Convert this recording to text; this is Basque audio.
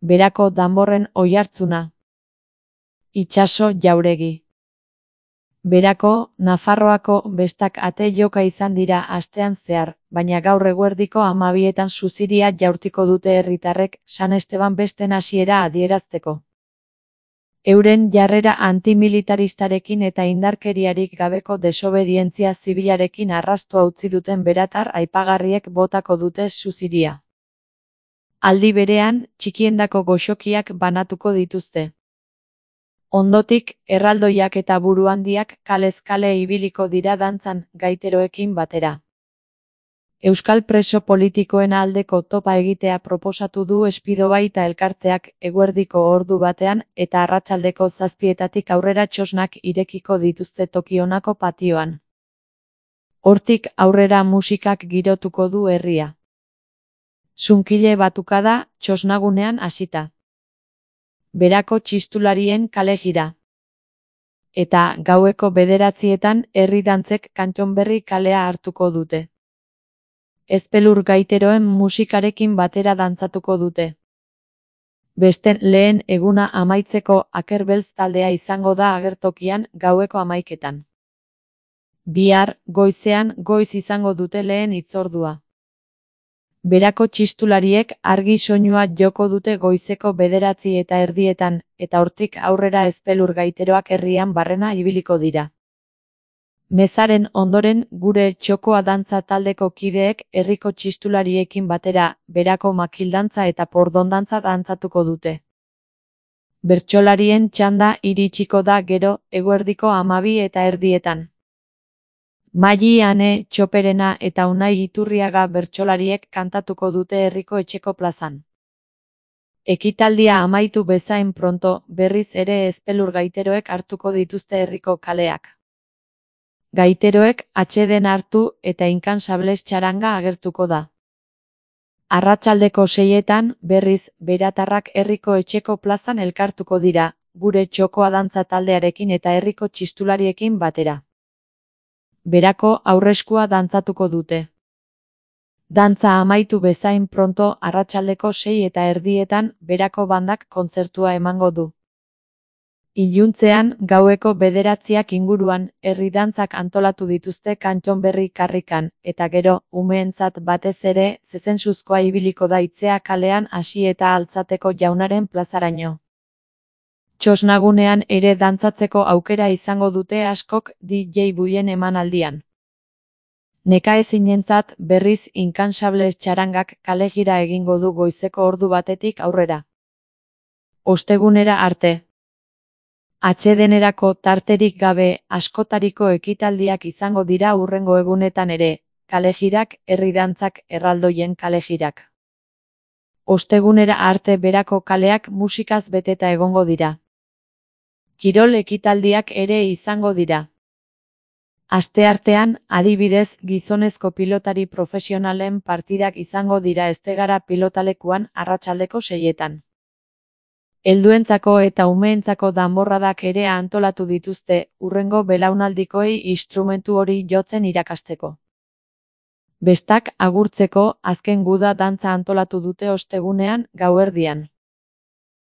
Berako danborren oihartzuna. Itsaso Jauregi. Berako, Nafarroako bestak ate joka izan dira astean zehar, baina gaur eguerdiko 12etan suziria jaurtiko dute herritarrek San Esteban besten hasiera adierazteko. Euren jarrera antimilitaristarekin eta indarkeriarik gabeko desobedientzia zibilarekin arrastoa utzi duten beratar aipagarriek botako dute suziria. Aldi berean, txikiendako goxokiak banatuko dituzte. Ondotik, erraldoiak eta buruhandiak kalez kale ibiliko dira dantzan, gaiteroekin batera. Euskal preso politikoen aldeko topa egitea proposatu du Espidobaita elkarteak eguerdiko ordu batean eta arratsaldeko 7:00 aurrera txosnak irekiko dituzte Tokionako patioan. Hortik aurrera musikak girotuko du herria. Sunkile batukada, txosnagunean hasita. Berako txistularien kale jira. Eta gaueko 9:00 herri dantzek Kantxonberri kalea hartuko dute. Ezpelur gaiteroen musikarekin batera dantzatuko dute. Besten lehen eguna amaitzeko Akerbeltz taldea izango da agertokian gaueko 11:00. Bihar, goizean goiz izango dute lehen hitzordua. Berako txistulariek argi soinua joko dute goizeko 9:30 eta hortik aurrera ezpelur gaiteroak herrian barrena ibiliko dira. Mezaren ondoren gure txokoa dantza taldeko kideek herriko txistulariekin batera berako makildantza eta pordondantza dantzatuko dute. Bertsolarien txanda iritsiko da gero eguerdiko 12:30. Maili Ane Txoperena eta Unai Iturriaga bertsolariek kantatuko dute herriko etxeko plazan. Ekitaldia amaitu bezain pronto, berriz ere ezpelur gaiteroek hartuko dituzte herriko kaleak. Gaiteroek atseden hartu eta inkansables txaranga agertuko da. Arratsaldeko 6:00 berriz beratarrak herriko etxeko plazan elkartuko dira, gure txokoa dantza taldearekin eta herriko txistulariekin batera. Berako aurreskua dantzatuko dute. Dantza amaitu bezain pronto arratsaldeko 6:30 berako bandak kontzertua emango du. Iluntzean gaueko 9:00 inguruan herri dantzak antolatu dituzte Kantxonberri karrikan, eta gero, umeentzat batez ere, zezensuzkoa ibiliko da Itzea kalean hasi eta Altzateko Jaunaren plazaraino. Txosnagunean ere dantzatzeko aukera izango dute askok DJ Buien emanaldian. Nekaezinentzat berriz inkansables txarangak kale jira egingo du goizeko ordu batetik aurrera. Ostegunera arte. Atsedenerako tarterik gabe askotariko ekitaldiak izango dira hurrengo egunetan ere, kale jirak, herri dantzak, erraldoien kale jirak. Ostegunera arte berako kaleak musikaz beteta egongo dira. Kirol ekitaldiak ere izango dira. Asteartean, adibidez, gizonezko pilotari profesionalen partidak izango dira Eztegara pilotalekuan arratsaldeko 6:00. Helduentzako eta umeentzako danborradak ere antolatu dituzte, hurrengo belaunaldikoei instrumentu hori jotzen irakasteko. Bestak agurtzeko azken guda dantza antolatu dute ostegunean, gauerdian.